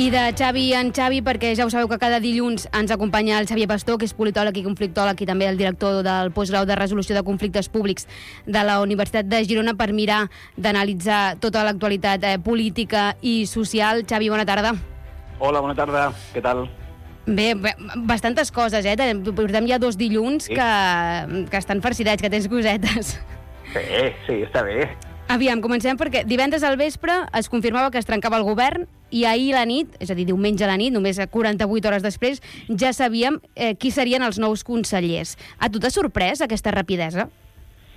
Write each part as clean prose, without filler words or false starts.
I de Xavi en Xavi, perquè ja ho sabeu que cada dilluns ens acompanya el Xavier Pastor, que és politòleg i conflictòleg i també el director del postgrau de resolució de conflictes públics de la Universitat de Girona, per mirar d'analitzar tota l'actualitat política i social. Xavi, bona tarda. Hola, bona tarda. Què tal? Bé, bastantes coses, Portem ja 2 dilluns que estan farcidets, que tens cosetes. Sí, està bé. Aviam, comencem perquè divendres al vespre es confirmava que es trencava el govern i ahir a la nit, és a dir, diumenge a la nit, només 48 hores després, ja sabíem qui serien els nous consellers. A tu t'ha sorprès aquesta rapidesa?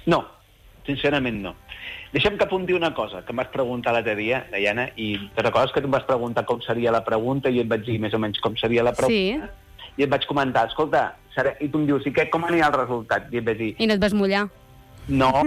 No, sincerament no. Deixa'm que apunti una cosa que em vas preguntar l'altre dia, Diana, i te recordes que tu em vas preguntar com seria la pregunta i et vaig dir més o menys com seria la pregunta? Sí. I et vaig comentar, escolta, i tu em dius, i com anirà el resultat? I et vaig dir... I no et vas mullar? No,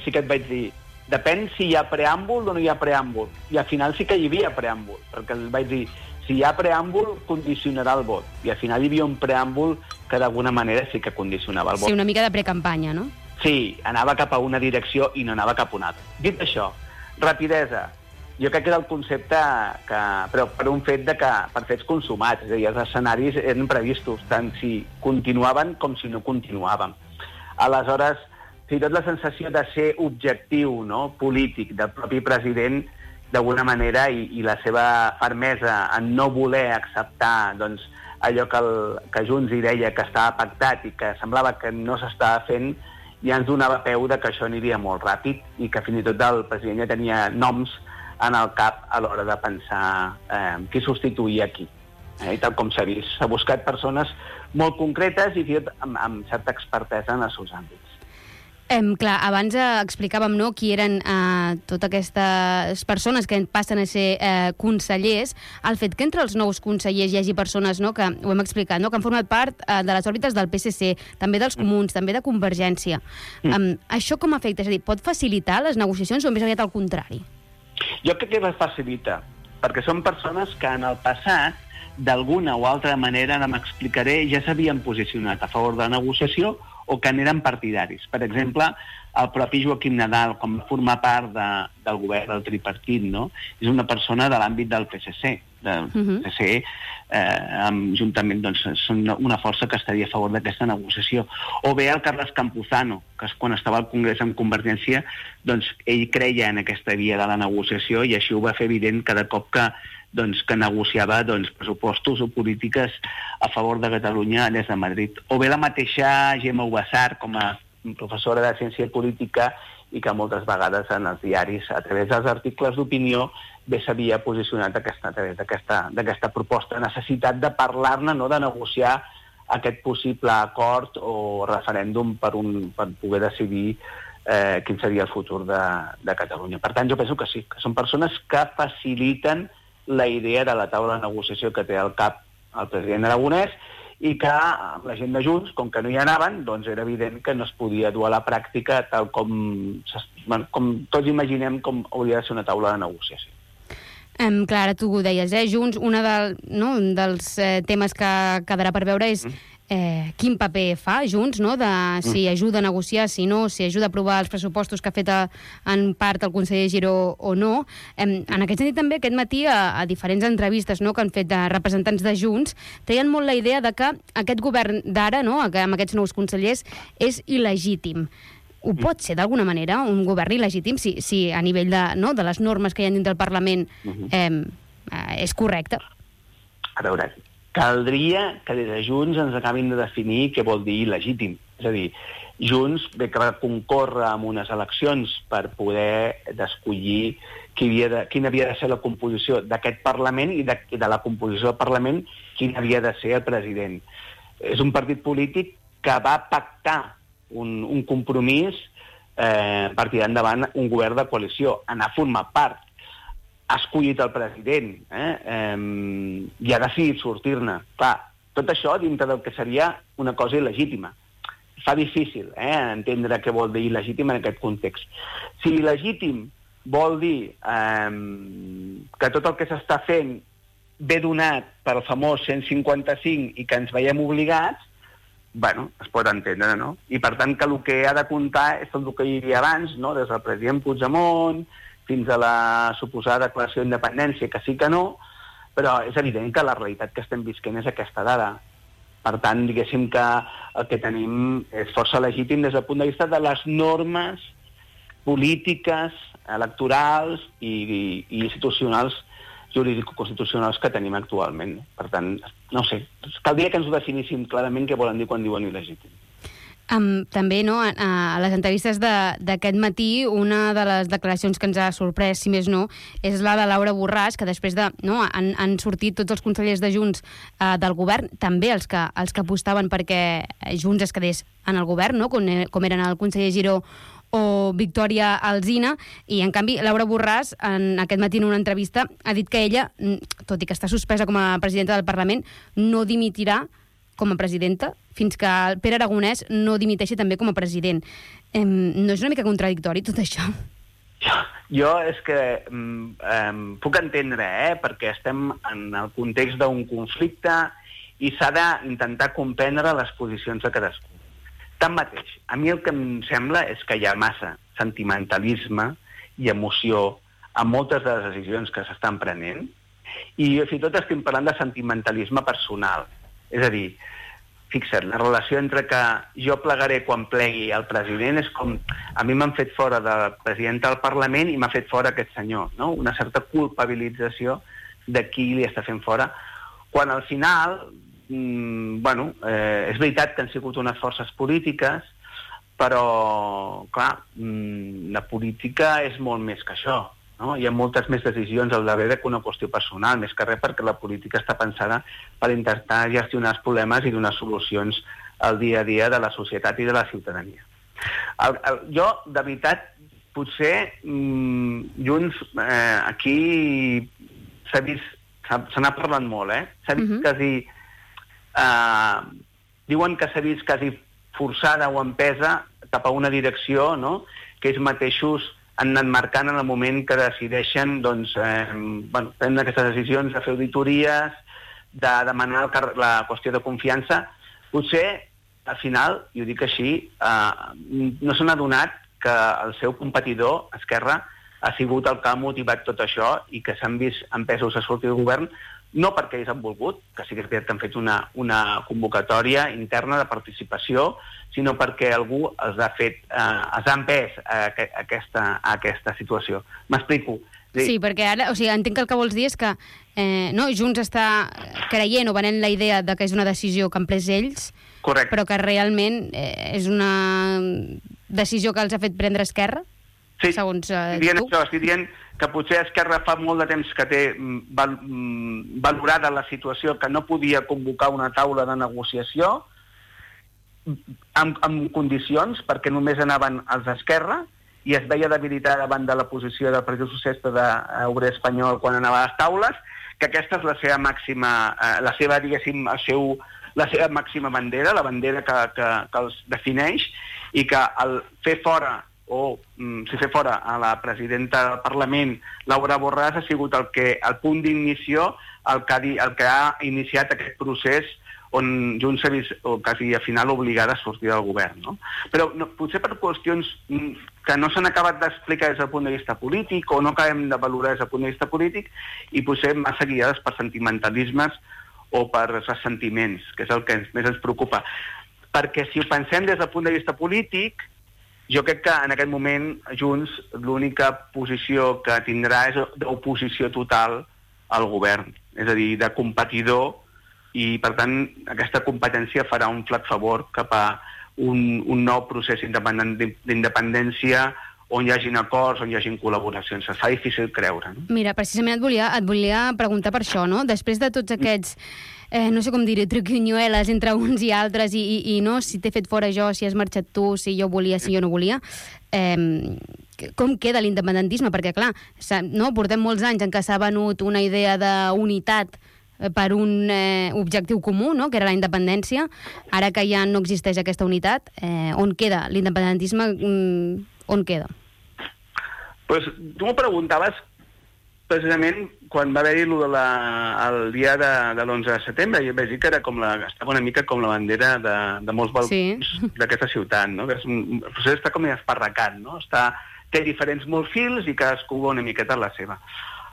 sí que et vaig dir, depèn si hi ha preàmbul o no hi ha preàmbul. I al final sí que hi havia preàmbul, perquè els vaig dir, si hi ha preàmbul, condicionarà el vot. I al final hi havia un preàmbul que d'alguna manera sí que condicionava el vot. Sí, una mica de precampanya, no? Sí, anava cap a una direcció i no anava cap a una altra. Dit això, rapidesa. Jo crec que era el concepte però per un fet per fets consumats. És a dir, els escenaris eren previstos, tant si continuaven com si no continuaven. Aleshores, fins i tot la sensació de ser objectiu, no?, polític del propi president, d'alguna manera, i la seva fermesa en no voler acceptar doncs, allò que Junts hi deia que estava pactat i que semblava que no s'estava fent, ja ens donava peu que això aniria molt ràpid i que fins i tot el president ja tenia noms en el cap a l'hora de pensar qui substituïa qui. I tal com s'ha vist, s'ha buscat persones molt concretes i fins i tot amb certa expertesa en els seus àmbits. Clar, abans explicàvem qui eren totes aquestes persones que passen a ser consellers. El fet que entre els nous consellers hi hagi persones, que ho hem explicat, que han format part de les òrbites del PSC, també dels Comuns, també de Convergència. Això com afecta? És a dir, pot facilitar les negociacions o més aviat al contrari? Jo crec que les facilita, perquè són persones que en el passat, d'alguna o altra manera, ara m'explicaré, ja s'havien posicionat a favor de la negociació o que n'eren partidaris. Per exemple, el propi Joaquim Nadal, com a formar part del govern del tripartit, no? És una persona de l'àmbit del PSC. PSC, juntament, doncs, són una força que estaria a favor d'aquesta negociació. O bé el Carles Campuzano, que quan estava al Congrés amb Convergència, doncs ell creia en aquesta via de la negociació i així ho va fer evident cada cop que negociava pressupostos o polítiques a favor de Catalunya des de Madrid. O bé la mateixa Gemma Ubassar, com a professora de ciència política, i que moltes vegades en els diaris, a través dels articles d'opinió, bé s'havia posicionat a través d'aquesta proposta, necessitat de parlar-ne, de negociar aquest possible acord o referèndum per poder decidir quin seria el futur de Catalunya. Per tant, jo penso que sí, que són persones que faciliten la idea de la taula de negociació que té al cap el president Aragonès i que amb la gent de Junts, com que no hi anaven, doncs era evident que no es podia dur a la pràctica tal com tots imaginem com hauria de ser una taula de negociació. Clar, ara tu ho deies, Junts, un dels temes que quedarà per veure és quin paper fa Junts, de si ajuda a negociar, si no, si ajuda a aprovar els pressupostos que ha fet en part el conseller Giró o no. En aquest sentit també aquest matí a diferents entrevistes que han fet representants de Junts treien molt la idea de que aquest govern d'ara, amb aquests nous consellers, és il·legítim. Ho pot ser d'alguna manera un govern il·legítim si a nivell de les normes que hi ha dins del Parlament és correcte? A veure, caldria que des de Junts ens acabin de definir què vol dir il·legítim. És a dir, Junts ve que va concórrer en unes eleccions per poder d'escollir quina havia de ser la composició d'aquest Parlament i de la composició del Parlament quin havia de ser el president. És un partit polític que va pactar un compromís per tirar endavant un govern de coalició, anar a formar part. Ha escollit el president i ha decidit sortir-ne. Clar, tot això dintre del que seria una cosa il·legítima. Fa difícil entendre què vol dir il·legítim en aquest context. Si il·legítim vol dir que tot el que s'està fent ve donat pel famós 155 i que ens veiem obligats, es pot entendre, no? I per tant que el que ha de comptar és tot el que hi havia abans, des del president Puigdemont fins a la suposada declaració d'independència, que sí que no, però és evident que la realitat que estem visquent és aquesta d'ara. Per tant, diguéssim que el que tenim és força legítim des del punt de vista de les normes polítiques, electorals i institucionals, jurídico-constitucionals que tenim actualment. Per tant, no sé, caldria que ens ho definíssim clarament què volen dir quan diuen il·legítim. També, no, a les entrevistes d'aquest matí, una de les declaracions que ens ha sorprès, si més no, és la de Laura Borràs, que després de... No, han sortit tots els consellers de Junts del govern, també els que apostaven perquè Junts es quedés en el govern, no, com eren el conseller Giró o Victòria Alsina, i en canvi Laura Borràs en aquest matí en una entrevista ha dit que ella, tot i que està suspesa com a presidenta del Parlament, no dimitirà com a presidenta fins que el Pere Aragonès no dimiteixi també com a president. No és una mica contradictori tot això? Jo és que puc entendre, perquè estem en el context d'un conflicte i s'ha d'intentar comprendre les posicions de cadascú. Tanmateix, a mi el que em sembla és que hi ha massa sentimentalisme i emoció en moltes de les decisions que s'estan prenent i fins i tot estem parlant de sentimentalisme personal. És a dir, fixa't, la relació entre que jo plegaré quan plegui el president és com... A mi m'han fet fora de presidenta del Parlament i m'ha fet fora aquest senyor, no? Una certa culpabilització de qui li està fent fora, quan al final... és veritat que han sigut unes forces polítiques, però, clar, la política és molt més que això, no? Hi ha moltes més decisions al darrere que una qüestió personal, més que res perquè la política està pensada per intentar gestionar els problemes i donar solucions al dia a dia de la societat i de la ciutadania. Jo, de veritat, potser Junts aquí s'ha vist, se n'ha parlat molt, s'ha vist quasi... diuen que s'ha vist quasi forçada o empesa cap a una direcció, no?, que ells mateixos han anat marcant en el moment que decideixen prendre aquestes decisions de fer auditories, de demanar la qüestió de confiança. Potser, al final, i ho dic així, no s'han adonat que el seu competidor, Esquerra, ha sigut el que ha motivat tot això i que s'han vist empesos a sortir del govern, no perquè ells han volgut, que sí que és veritat que han fet una convocatòria interna de participació, sinó perquè algú els ha empès a aquesta situació. M'explico. Sí, perquè ara, entenc que el que vols dir és que Junts està creient o venent la idea de que és una decisió que han pres ells, correcte, però que realment és una decisió que els ha fet prendre Esquerra? Sí, segons estic dient que potser Esquerra fa molt de temps que té valorada la situació, que no podia convocar una taula de negociació amb condicions, perquè només anaven els d'Esquerra i es veia debilitada davant de la posició del Partit Socialista d'Obrer Espanyol quan anava a les taules, que aquesta és la seva màxima, la seva màxima bandera, la bandera que els defineix, i que el fer fora fer fora a la presidenta del Parlament, Laura Borràs, ha sigut el punt d'inició, el que ha iniciat aquest procés on Junts s'ha vist quasi a final obligada a sortir del govern. No? Però potser per qüestions que no s'han acabat d'explicar des del punt de vista polític o no acabem de valorar des del punt de vista polític i potser massa guiades per sentimentalismes o per ressentiments, que és el que més ens preocupa. Perquè si ho pensem des del punt de vista polític, jo crec que en aquest moment Junts l'única posició que tindrà és d'oposició total al govern, és a dir, de competidor, i per tant aquesta competència farà un flac favor cap a un nou procés d'independència on hi hagin acords, on hi hagin col·laboracions. Es fa difícil creure. No? Mira, precisament et volia preguntar per això, no? Després de tots aquests no sé com dir-ho, truquinyueles entre uns i altres i no, si t'he fet fora jo, si has marxat tu, si jo volia, si jo no volia, com queda l'independentisme? Perquè, clar, portem molts anys en què s'ha venut una idea d'unitat per un objectiu comú, no?, que era la independència. Ara que ja no existeix aquesta unitat, on queda l'independentisme? On queda? Pues, tu m'ho preguntaves precisament quan va haver-hi el dia de l'11 de setembre, i vaig dir que era estava una mica com la bandera de molts balcons d'aquesta ciutat, no? El procés està com esparracat, no? Té diferents morfils i cadascú va una miqueta la seva.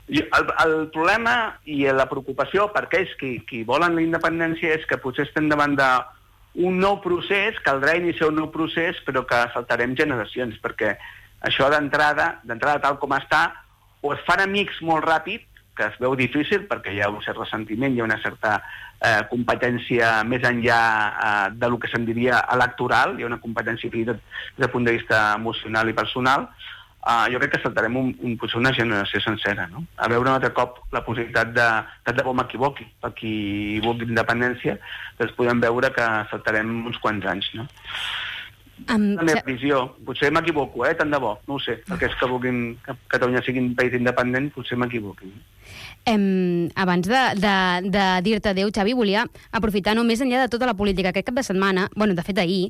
El problema i la preocupació per aquells qui volen la independència és que potser estem davant d'un nou procés, caldrà iniciar un nou procés, però que saltarem generacions, perquè això d'entrada tal com està, o es fan amics molt ràpid, que es veu difícil perquè hi ha un cert ressentiment, hi ha una certa competència més enllà del que se'n diria electoral, hi ha una competència des del punt de vista emocional i personal. Jo crec que saltarem potser una generació sencera, no? A veure un altre cop la possibilitat de debò m'equivoqui. Per qui vulgui independència, doncs podem veure que saltarem uns quants anys, no? La meva visió, potser m'equivoco, tant de bo, no ho sé, perquè és que vulguin que Catalunya sigui un país independent, potser m'equivoqui. Abans de dir-te adéu, Xavi, volia aprofitar, no, més enllà de tota la política, aquest cap de setmana, bueno, de fet ahir,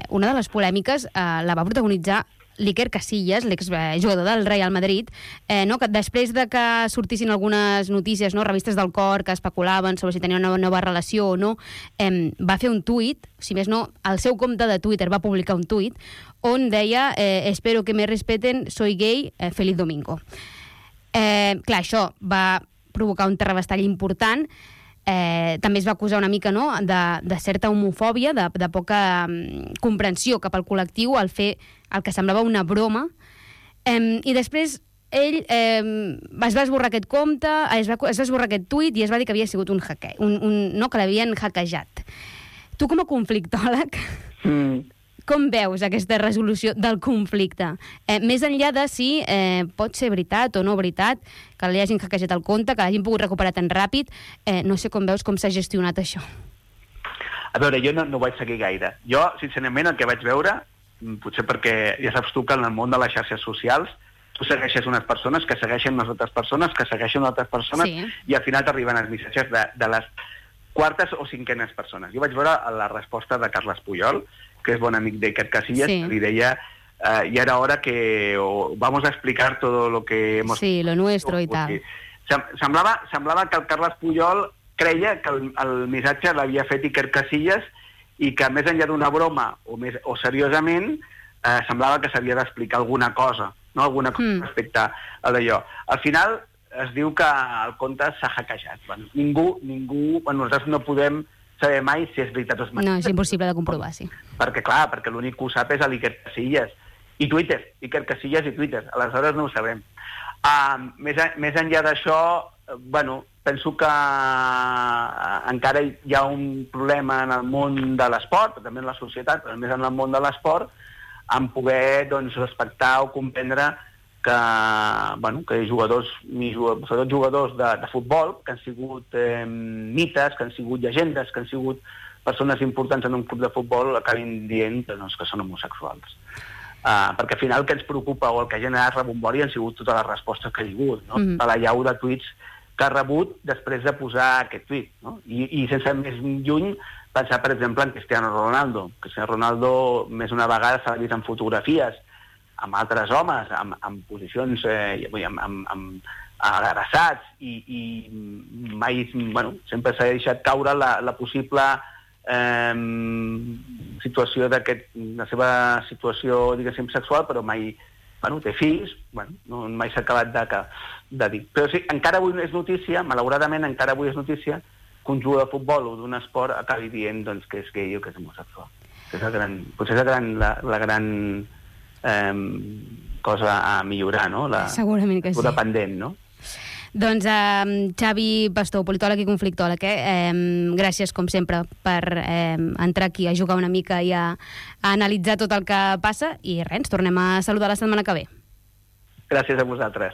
una de les polèmiques la va protagonitzar l'Iker Casillas, l'exjugador del Real Madrid, que després de que sortissin algunes notícies, revistes del cor que especulaven sobre si tenia una nova relació o no, va fer un tuit, si més no, al seu compte de Twitter va publicar un tuit on deia «Espero que me respeten, soy gay, feliz domingo». Clar, això va provocar un terrabastall important. També es va acusar una mica de certa homofòbia, de poca comprensió cap al col·lectiu al fer el que semblava una broma, i després ell es va esborrar aquest compte, es va esborrar aquest tuit i es va dir que havia sigut que l'havien hackejat. Tu com a conflictòleg com veus aquesta resolució del conflicte? Més enllà de si pot ser veritat o no veritat, que li hagin hackejat el compte, que l'hagin pogut recuperar tan ràpid, no sé com veus com s'ha gestionat això. A veure, jo no ho vaig seguir gaire. Jo, sincerament, el que vaig veure, potser perquè ja saps tu que en el món de les xarxes socials tu segueixes unes persones que segueixen unes altres persones que segueixen altres persones, sí. I al final t'arriben els missatges de les quartes o cinquenes persones. Jo vaig veure la resposta de Carles Puyol, que és bon amic d'Iker Casillas, sí. Que li deia ya era hora que vamos a explicar todo lo que hemos... Sí, lo nuestro i tal. Semblava que el Carles Puyol creia que el missatge l'havia fet Iker Casillas i que més enllà d'una broma o seriosament semblava que s'havia d'explicar alguna cosa, no? Alguna cosa respecte a d'allò. Al final es diu que el compte s'ha hackejat. Bueno, ningú, nosaltres no podem saber mai si és veritat o és mentida. No, és impossible de comprovar, sí. Perquè l'únic que ho sap és l'Iker Casillas i Twitter, Iker Casillas i Twitter. Aleshores no ho sabem. Més enllà d'això, penso que encara hi ha un problema en el món de l'esport, també en la societat, però més en el món de l'esport, en poder respectar o comprendre que jugadors, sobretot jugadors de futbol, que han sigut mites, que han sigut llegendes, que han sigut persones importants en un club de futbol, acabin dient que són homosexuals. Perquè al final el que ens preocupa o el que ha generat rebombori han sigut totes les respostes que hi ha hagut, no? De la llau de tuits que ha rebut després de posar aquest tuit, no? I sense més lluny pensar, per exemple, en Cristiano Ronaldo. Cristiano Ronaldo més una vegada s'ha vist en fotografies amb altres homes, en posicions abraçats i mai, sempre s'ha deixat caure la possible situació la seva situació, diguéssim, sexual, però mai té fills, mai s'ha acabat de dir. Però sí, encara avui és notícia, malauradament encara avui és notícia, que un jugador de futbol o d'un esport acabi dient que és gay o que és homosexual. Potser és la gran cosa a millorar, no? Segurament que sí. La pendent, no? Doncs Xavi Pastor, politòleg i conflictòleg, gràcies com sempre per entrar aquí a jugar una mica i a analitzar tot el que passa i res, ens tornem a saludar la setmana que ve. Gràcies a vosaltres.